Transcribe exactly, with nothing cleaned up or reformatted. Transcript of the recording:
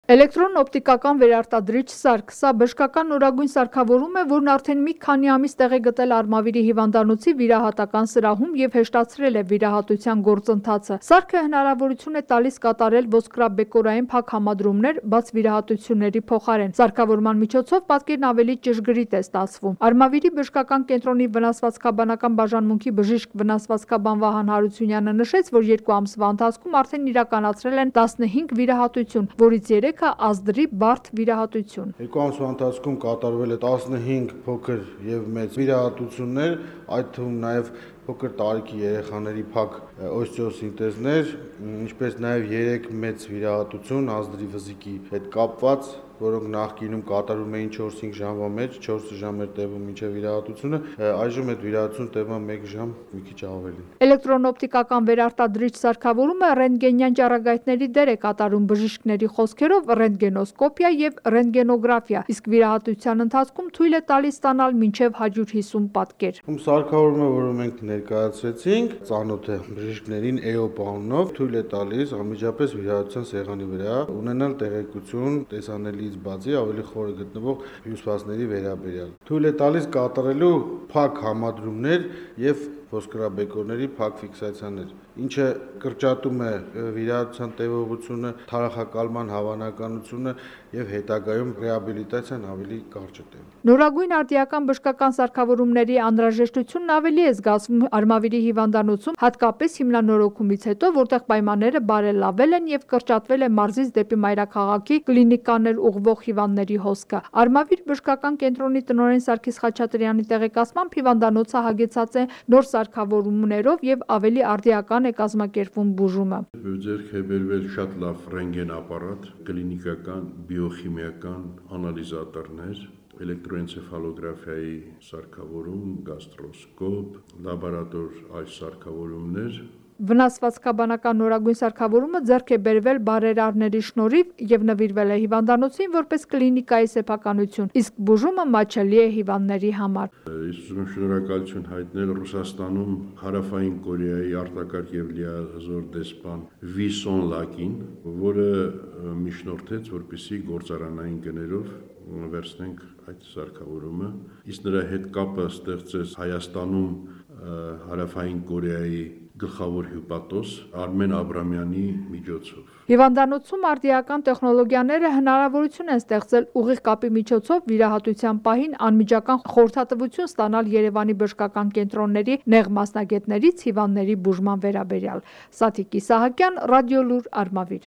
Էլեկտրոն-օպտիկական վերարտադրիչ սարք, սա բժշկական նորագույն սարքավորում է, որն արդեն մի քանի ամիս տեղ է գտել Արմավիրի հիվանդանոցի վիրահատական սրահում և հեշտացրել է վիրահատության գործընթացը։ Սարքը հնարավորություն է տալիս կատարել ոսկրաբեկորային փակ համադրումներ բաց վիրահատությունների փոխարեն։ Սարքավորման միջոցով պատկերն ավելի ճշգրիտ է ստացվում։ Արմավիրի բժշկական կենտրոնի վնասվածքաբանական բաժանմունքի բժիշկ վնասվածքաբան Վահան Հարությունյանը նշեց, որ երկու ամսվա ընթացքում արդեն իրականացրել են տասնհինգ վիրահատություն, որից երեքը ազդրի բարդ վիրահատություն։ Երկու ամսվա ընթացքում կատարվել է տասնհինգ փոքր եւ մեծ վիրահատություններ, այդ թվում նաեւ փոքր տարիքի երեխաների փակ օստեոսինտեզներ, ինչպես նաեւ երեք մեծ վիրահատություն ազդրի վզիկի հետ կապված, որոնք նախկինում կատարվում էին չորս-հինգ ժամվա մեջ, չորս ժամ էր տևում մինչև վիրահատությունը, այժմ այդ վիրահատությունը տևում է մեկ ժամ, մի քիչ ավելին։ Էլեկտրոն-օպտիկական վերարտադրիչ սարքավորումը ռենտգենյան ճառագայթների դեր է կատարում բժիշկների խոսքերով ռենտգենոսկոպիա եւ ռենտգենոգրաֆիա, իսկ վիրահատության ընթացքում թույլ է տալիս ստանալ մինչև հարյուր հիսուն պատկեր։ Ում սարքավորումը, որը մենք ներկայացրեցինք, ծանոթ է բժիշկներին E O P անունով, թույլ է տալիս անմիջապես վիրահատության սեղանի վրա ունենալ տեղեկություն տեսանելիից բացի ավելի խորը գտնվող հյուսվածքների վերաբերյալ։ Թույլ է տալիս կատարելու փակ համադրումներ եւ ոսկրաբեկորների փակ ֆիքսացիաներ, ինչը կրճատում է վիրահատության տևողությունը, թարախակալման հավանականությունը եւ հետագայում ռեաբիլիտացիան ավելի կարճ է տևում։ Նորագույն արդիական բժշկական սարքավորումների անհրաժեշտությունն ավելի է զգացվում Արմավիրի հիվանդանոցում, հատկապես հիմնանորոգումից հետո, որտեղ պայմանները բարելավել են եւ կրճատվել է մարզից դեպի մայրաքաղաքի կլինիկաներ ուղղվող հիվանդների հոսքը։ Արմավիր բժշկական կենտրոնի տնօրեն Սարգիս Խաչատրյանի տեղեկացմամբ հիվանդանոցը հագեցած է նոր սարքավորումներով եւ ավելի արդիական է կազմակերպվում բուժումը։ Ձեռք է բերվել շատ լավ ռենտգեն ապարատ, կլինիկական, բիոխիմիական անալիզատորներ, էլեկտրոէնցեֆալոգրաֆիայի սարքավորում, գաստրոսկոպ, լաբորատոր այլ սարքավորումներ։ Վնասվածքաբանական նորագույն սարքավորումը ձեռք է բերվել բարերարների շնորհիվ եւ նվիրվել է հիվանդանոցին որպես կլինիկայի սեփականություն, իսկ բուժումը մատչելի է հիվանդների համար։ Ես ուզում եմ շնորհակալություն հայտնել Ռուսաստանում Հարավային Կորեայի արտակարգ եւ լիազոր դեսպան Վի Սոն Լակին, որը միջնորդեց, որպեսզի գործարանային գներով վերցնենք այդ սարքավորումը, իսկ նրա հետ կապը ստեղծեց Հայաստանում Հարավային Կորեայի գլխավոր հյուպատոս Արմեն Աբրամյանի միջոցով։ Հիվանդանոցում արդիական տեխնոլոգիաները հնարավորություն են ստեղծել ուղիղ կապի միջոցով վիրահատության պահին անմիջական խորհրդատվություն ստանալ Երևանի բժշկական կենտրոնների նեղ մասնագետներից հիվանդների բուժման վերաբերյալ։ Սաթիկ Իսահակյան, Ռադիոլուր, Արմավիր։